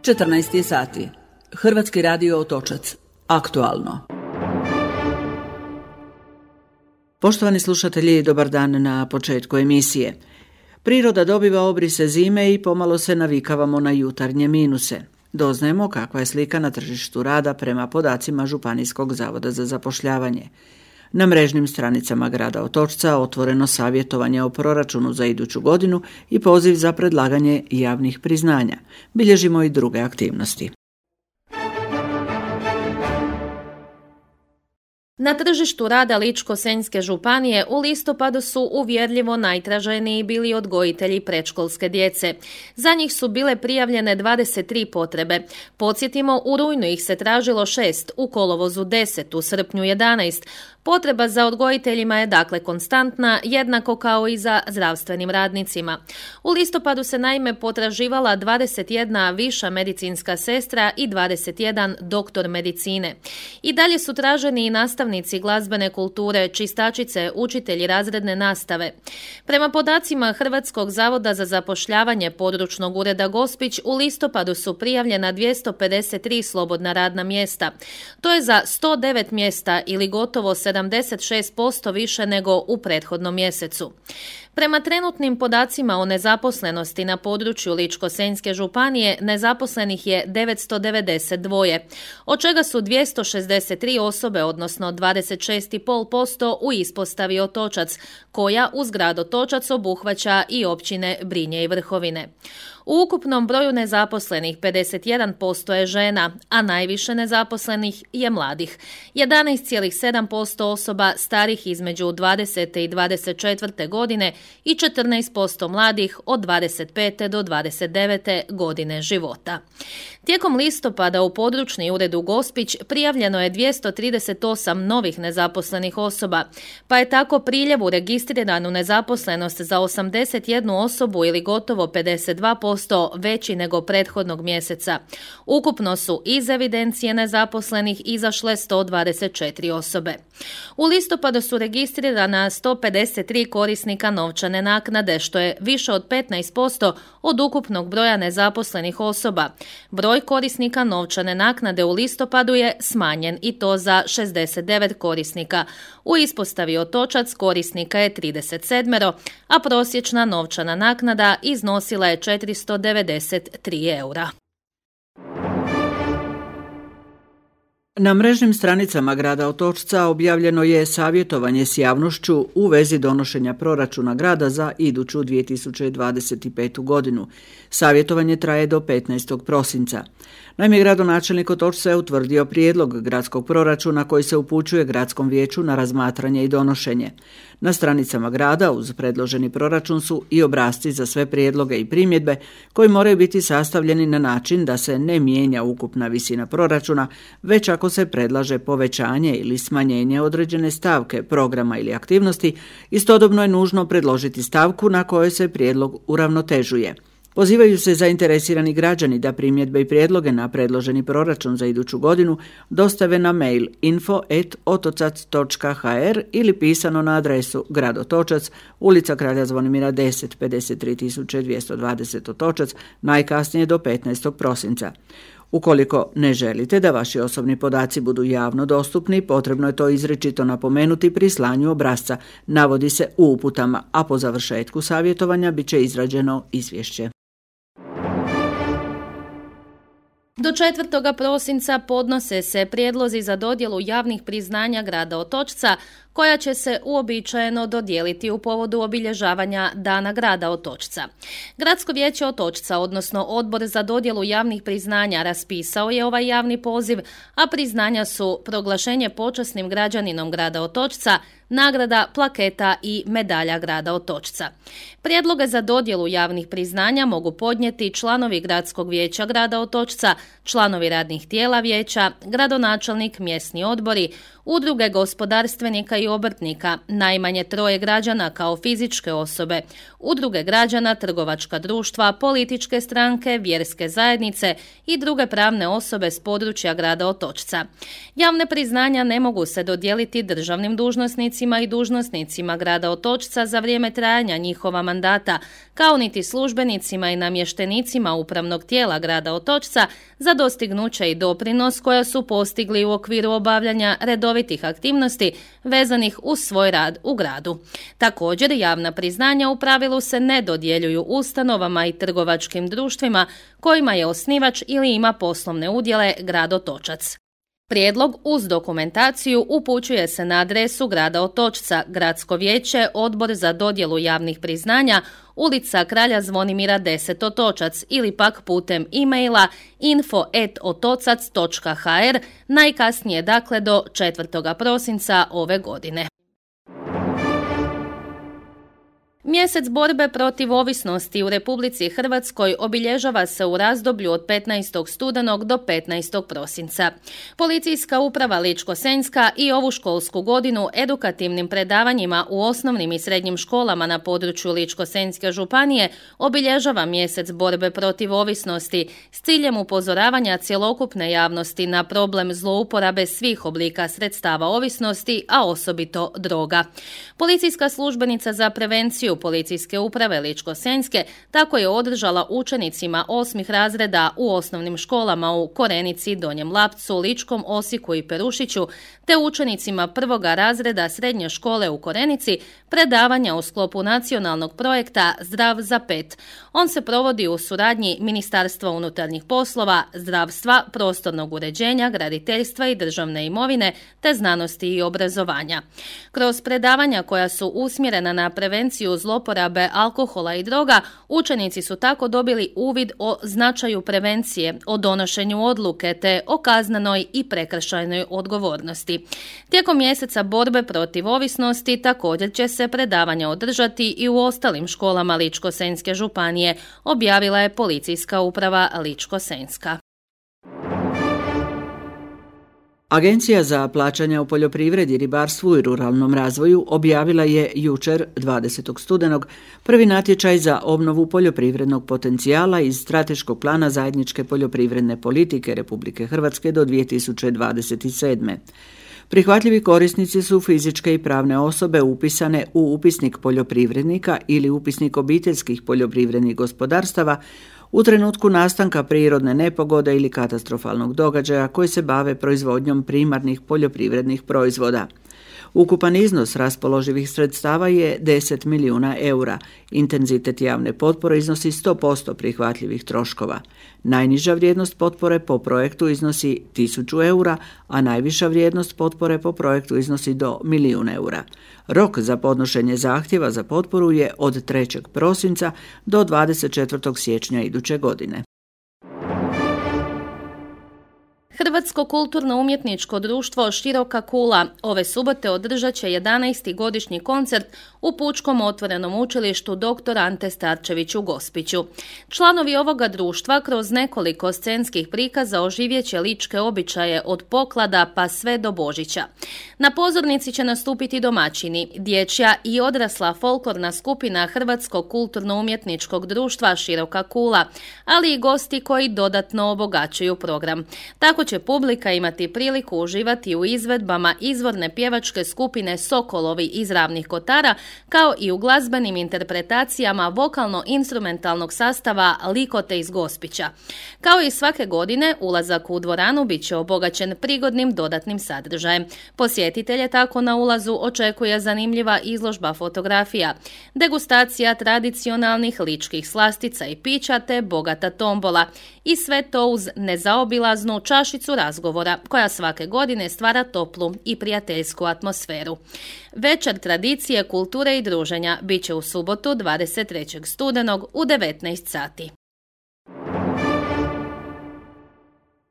14 sati. Hrvatski radio Otočac. Aktualno. Poštovani slušatelji, dobar dan na početku emisije. Priroda dobiva obrise zime i pomalo se navikavamo na jutarnje minuse. Doznajemo kakva je slika na tržištu rada prema podacima Županijskog zavoda za zapošljavanje. Na mrežnim stranicama grada Otočca otvoreno savjetovanje o proračunu za iduću godinu i poziv za predlaganje javnih priznanja. Bilježimo i druge aktivnosti. Na tržištu rada Ličko-senjske županije u listopadu su uvjerljivo najtraženiji bili odgojitelji predškolske djece. Za njih su bile prijavljene 23 potrebe. Podsjetimo, u rujnu ih se tražilo 6, u kolovozu 10, u srpnju 11. Potreba za odgojiteljima je dakle konstantna, jednako kao i za zdravstvenim radnicima. U listopadu se naime potraživala 21 viša medicinska sestra i 21 doktor medicine. I dalje su traženi i nastavnici glazbene kulture, čistačice, učitelji razredne nastave. Prema podacima Hrvatskog zavoda za zapošljavanje područnog ureda Gospić, u listopadu su prijavljena 253 slobodna radna mjesta. To je za 109 mjesta ili gotovo 76% više nego u prethodnom mjesecu. Prema trenutnim podacima o nezaposlenosti na području Ličko-senjske županije nezaposlenih je 992, od čega su 263 osobe, odnosno 26,5% u ispostavi Otočac, koja uz grad Otočac obuhvaća i općine Brinje i Vrhovine. U ukupnom broju nezaposlenih 51% je žena, a najviše nezaposlenih je mladih. 11,7% osoba starih između 20. i 24. godine i 14% mladih od 25. do 29. godine života. Tijekom listopada u područni ured u Gospić prijavljeno je 238 novih nezaposlenih osoba, pa je tako priljev u registriranu nezaposlenost za 81 osobu ili gotovo 52% veći nego prethodnog mjeseca. Ukupno su iz evidencije nezaposlenih izašle 124 osobe. U listopadu su registrirana 153 korisnika novčane naknade, što je više od 15% od ukupnog broja nezaposlenih osoba. Broj korisnika novčane naknade u listopadu je smanjen i to za 69 korisnika. U ispostavi Otočac korisnika je 37, a prosječna novčana naknada iznosila je 493 eura. Na mrežnim stranicama grada Otočca objavljeno je savjetovanje s javnošću u vezi donošenja proračuna grada za iduću 2025. godinu. Savjetovanje traje do 15. prosinca. Naime, gradonačelnik Otočca je utvrdio prijedlog gradskog proračuna koji se upućuje gradskom vijeću na razmatranje i donošenje. Na stranicama grada uz predloženi proračun su i obrasci za sve prijedloge i primjedbe koji moraju biti sastavljeni na način da se ne mijenja ukupna visina proračuna, već ako se predlaže povećanje ili smanjenje određene stavke, programa ili aktivnosti, istodobno je nužno predložiti stavku na kojoj se prijedlog uravnotežuje. Pozivaju se zainteresirani građani da primjedbe i prijedloge na predloženi proračun za iduću godinu dostave na mail info@otocac.hr ili pisano na adresu Grad Otočac, ulica Kralja Zvonimira 10, 53.220 Otočac, najkasnije do 15. prosinca. Ukoliko ne želite da vaši osobni podaci budu javno dostupni, potrebno je to izričito napomenuti pri slanju obrasca, navodi se u uputama, a po završetku savjetovanja bit će izrađeno izvješće. Do 4. prosinca podnose se prijedlozi za dodjelu javnih priznanja grada Otočca, koja će se uobičajeno dodijeliti u povodu obilježavanja Dana grada Otočca. Gradsko vijeće Otočca, odnosno Odbor za dodjelu javnih priznanja, raspisao je ovaj javni poziv, a priznanja su proglašenje počasnim građaninom grada Otočca, nagrada, plaketa i medalja grada Otočca. Prijedloge za dodjelu javnih priznanja mogu podnijeti članovi Gradskog vijeća grada Otočca, članovi radnih tijela vijeća, gradonačelnik, mjesni odbori, udruge gospodarstvenika i obrtnika, najmanje 3 građana kao fizičke osobe, udruge građana, trgovačka društva, političke stranke, vjerske zajednice i druge pravne osobe s područja grada Otočca. Javne priznanja ne mogu se dodijeliti državnim dužnosnicima i dužnosnicima grada Otočca za vrijeme trajanja njihova mandata, kao niti službenicima i namještenicima upravnog tijela grada Otočca za dostignuće i doprinos koja su postigli u okviru obavljanja redovitih aktivnosti vezanih uz svoj rad u gradu. Također, javna priznanja u pravilu se ne dodjeljuju ustanovama i trgovačkim društvima kojima je osnivač ili ima poslovne udjele grad Otočac. Prijedlog uz dokumentaciju upućuje se na adresu grada Otočca, Gradsko vijeće, Odbor za dodjelu javnih priznanja, ulica Kralja Zvonimira 10 Otočac ili pak putem e-maila info@otocac.hr, najkasnije dakle do 4. prosinca ove godine. Mjesec borbe protiv ovisnosti u Republici Hrvatskoj obilježava se u razdoblju od 15. studenog do 15. prosinca. Policijska uprava Ličko-senjska i ovu školsku godinu edukativnim predavanjima u osnovnim i srednjim školama na području Ličko-senjske županije obilježava mjesec borbe protiv ovisnosti s ciljem upozoravanja cjelokupne javnosti na problem zlouporabe svih oblika sredstava ovisnosti, a osobito droga. Policijska službenica za prevenciju Policijske uprave Ličko-senjske tako je održala učenicima 8. razreda u osnovnim školama u Korenici, Donjem Lapcu, Ličkom, Osijeku i Perušiću, te učenicima 1. razreda srednje škole u Korenici predavanja u sklopu nacionalnog projekta Zdrav za 5. On se provodi u suradnji Ministarstva unutarnjih poslova, zdravstva, prostornog uređenja, graditeljstva i državne imovine, te znanosti i obrazovanja. Kroz predavanja koja su usmjerena na prevenciju zloporabe alkohola i droga, učenici su tako dobili uvid o značaju prevencije, o donošenju odluke te o kaznenoj i prekršajnoj odgovornosti. Tijekom mjeseca borbe protiv ovisnosti također će se predavanja održati i u ostalim školama Ličko-senjske županije, objavila je Policijska uprava Ličko-senjska. Agencija za plaćanja u poljoprivredi, ribarstvu i ruralnom razvoju objavila je jučer, 20. studenog, prvi natječaj za obnovu poljoprivrednog potencijala iz strateškog plana zajedničke poljoprivredne politike Republike Hrvatske do 2027. Prihvatljivi korisnici su fizičke i pravne osobe upisane u upisnik poljoprivrednika ili upisnik obiteljskih poljoprivrednih gospodarstava u trenutku nastanka prirodne nepogode ili katastrofalnog događaja koji se bave proizvodnjom primarnih poljoprivrednih proizvoda. Ukupan iznos raspoloživih sredstava je 10 milijuna eura. Intenzitet javne potpore iznosi 100% prihvatljivih troškova. Najniža vrijednost potpore po projektu iznosi 1000 eura, a najviša vrijednost potpore po projektu iznosi do 1.000.000 eura. Rok za podnošenje zahtjeva za potporu je od 3. prosinca do 24. siječnja iduće godine. Hrvatsko kulturno-umjetničko društvo Široka kula ove subote održat će 11. godišnji koncert u Pučkom otvorenom učilištu dr. Ante Starčević u Gospiću. Članovi ovoga društva kroz nekoliko scenskih prikaza oživjet će ličke običaje od poklada pa sve do Božića. Na pozornici će nastupiti domaćini, dječja i odrasla folklorna skupina Hrvatskog kulturno-umjetničkog društva Široka kula, ali i gosti koji dodatno obogaćuju program. Tako će publika imati priliku uživati u izvedbama izvorne pjevačke skupine Sokolovi iz Ravnih Kotara, kao i u glazbenim interpretacijama vokalno-instrumentalnog sastava Likote iz Gospića. Kao i svake godine, ulazak u dvoranu bit će obogaćen prigodnim dodatnim sadržajem. Posjetitelje tako na ulazu očekuje zanimljiva izložba fotografija, degustacija tradicionalnih ličkih slastica i pića te bogata tombola. I sve to uz nezaobilaznu čašicu razgovora koja svake godine stvara toplu i prijateljsku atmosferu. Večer tradicije, kulture i druženja bit će u subotu 23. studenog u 19 sati.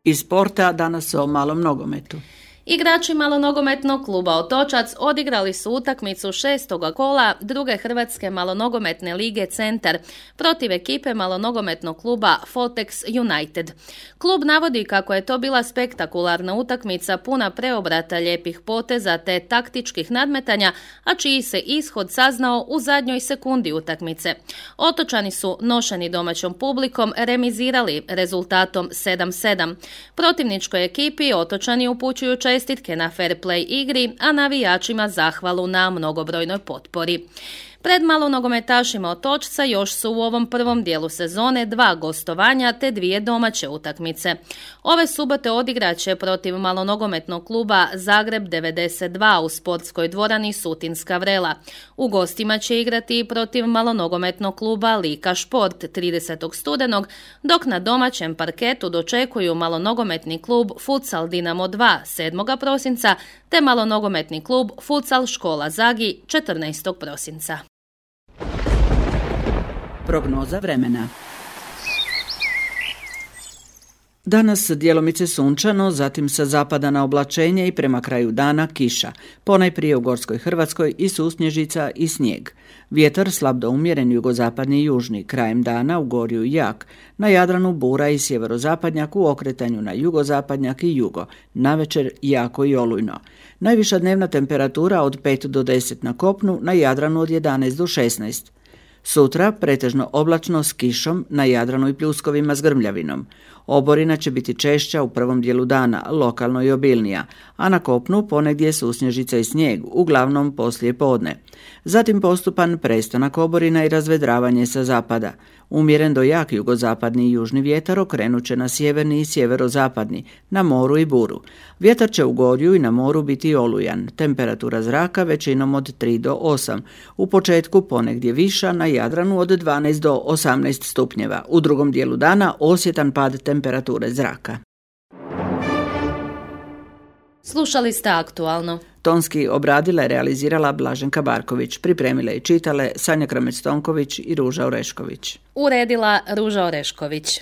Iz sporta danas o malom nogometu. Igrači malonogometnog kluba Otočac odigrali su utakmicu 6. kola druge Hrvatske malonogometne lige Centar protiv ekipe malonogometnog kluba Fotex United. Klub navodi kako je to bila spektakularna utakmica puna preobrata, lijepih poteza te taktičkih nadmetanja, a čiji se ishod saznao u zadnjoj sekundi utakmice. Otočani su, nošeni domaćom publikom, remizirali rezultatom 7-7. Protivničkoj ekipi Otočani upućuju čestitke na fair play igri, a navijačima zahvalu na mnogobrojnoj potpori. Pred malonogometašima Otočca još su u ovom prvom dijelu sezone 2 gostovanja te 2 domaće utakmice. Ove subote odigrat će protiv malonogometnog kluba Zagreb 92 u sportskoj dvorani Sutinska Vrela. U gostima će igrati i protiv malonogometnog kluba Lika Šport 30. studenog, dok na domaćem parketu dočekuju malonogometni klub Futsal Dinamo 2 7. prosinca te malonogometni klub Futsal Škola Zagi 14. prosinca. Prognoza vremena. Danas djelomice sunčano, zatim sa zapada na oblačenje i prema kraju dana kiša, ponajprije u Gorskoj Hrvatskoj i susnježica i snijeg. Vjetar slab do umjeren jugozapadni i južni, krajem dana u Gorju jak, na Jadranu bura i sjeverozapadnjak u okretanju na jugozapadnjak i jugo, navečer jako i olujno. Najviša dnevna temperatura od 5 do 10 na kopnu, na Jadranu od 11 do 16. Sutra pretežno oblačno s kišom, na Jadranu i pljuskovima s grmljavinom. Oborina će biti češća u prvom dijelu dana, lokalno i obilnija, a na kopnu ponegdje susnježica i snijeg, uglavnom poslije podne. Zatim postupan prestanak oborina i razvedravanje sa zapada. Umjeren do jak jugozapadni i južni vjetar okrenut će na sjeverni i sjeverozapadni, na moru i buru. Vjetar će u Gorju i na moru biti olujan, temperatura zraka većinom od 3 do 8, u početku ponegdje viša, na Jadranu od 12 do 18 stupnjeva, u drugom dijelu dana osjetan pad temperature zraka. Slušali ste Aktualno. Tonski obradila i realizirala Blaženka Barković, pripremile i čitale Sanja Kramec-Tonković i Ruža Orešković. Uredila Ruža Orešković.